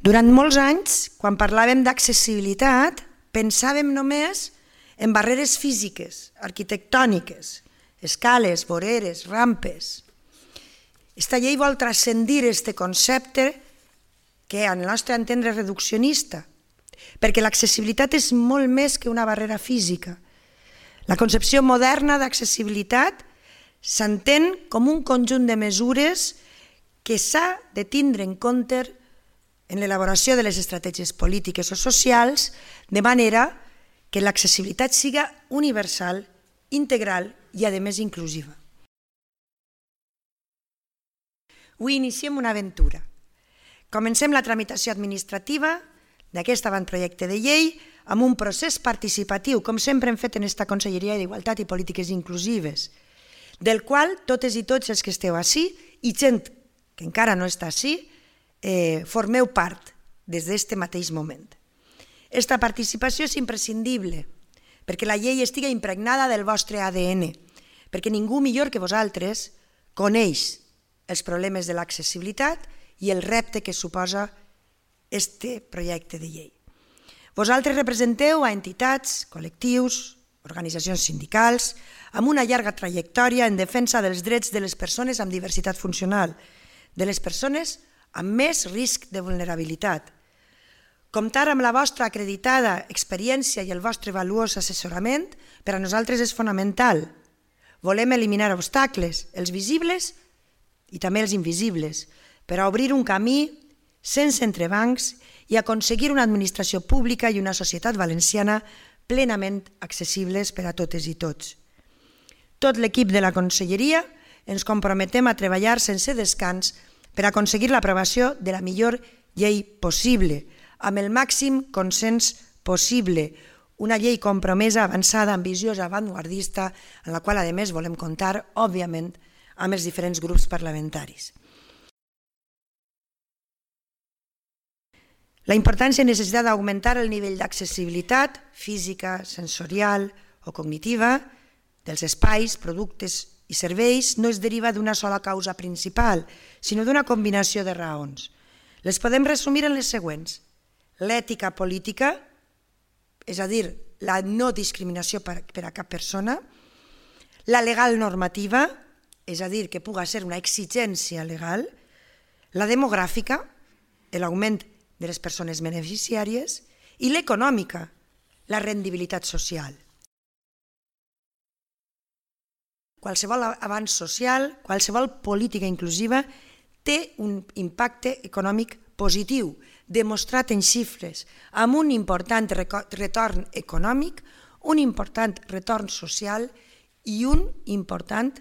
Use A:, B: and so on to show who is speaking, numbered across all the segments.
A: Durant molts anys, quan parlàvem d'accessibilitat, pensàvem només en barreres físiques, arquitectòniques, escales, voreres, rampes. Esta llei vol transcendir aquest concepte que, al nostre entendre, és reduccionista, perquè l'accessibilitat és molt més que una barrera física. La concepció moderna d'accessibilitat s'entén com un conjunt de mesures que s'ha de tindre en compte en l'elaboració de les estratègies polítiques o socials, de manera que l'accessibilitat siga universal, integral i, a més, inclusiva. Avui iniciem una aventura. Comencem la tramitació administrativa d'aquest avantprojecte de llei amb un procés participatiu, com sempre hem fet en aquesta Conselleria d'Igualtat i Polítiques Inclusives, del qual totes i tots els que esteu ací i gent que encara no està ací, formeu part des d'aquest mateix moment. Aquesta participació és imprescindible perquè la llei estigui impregnada del vostre ADN, perquè ningú millor que vosaltres coneix els problemes de l'accessibilitat i el repte que suposa aquest projecte de llei. Vosaltres representeu a entitats, col·lectius, organitzacions sindicals, amb una llarga trajectòria en defensa dels drets de les persones amb diversitat funcional, de les persones amb més risc de vulnerabilitat. Comptar amb la vostra acreditada experiència i el vostre valuós assessorament per a nosaltres és fonamental. Volem eliminar obstacles, els visibles i també els invisibles, per a obrir un camí sense entrebancs i aconseguir una administració pública i una societat valenciana plenament accessibles per a totes i tots. Tot l'equip de la Conselleria ens comprometem a treballar sense descans per aconseguir l'aprovació de la millor llei possible, amb el màxim consens possible, una llei compromesa, avançada, ambiciosa, avantguardista, en la qual, a més, volem comptar, òbviament, amb els diferents grups parlamentaris. La importància i necessitat d'augmentar el nivell d'accessibilitat física, sensorial o cognitiva dels espais, productes i serveis no es deriva d'una sola causa principal, sinó d'una combinació de raons. Les podem resumir en les següents. L'ètica política, és a dir, la no discriminació per a cap persona, la legal normativa, és a dir, que puga ser una exigència legal, la demogràfica, l'augment de les persones beneficiàries, i l'econòmica, la rendibilitat social. Qualsevol avanç social, qualsevol política inclusiva té un impacte econòmic positiu, demostrat en xifres, amb un important retorn econòmic, un important retorn social i un important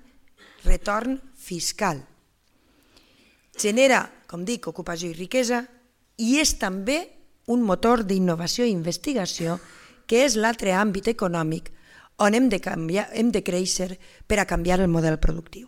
A: retorn fiscal. Genera, com dic, ocupació i riquesa i és també un motor d'innovació i investigació que és l'altre àmbit econòmic on hem de créixer per a canviar el model productiu.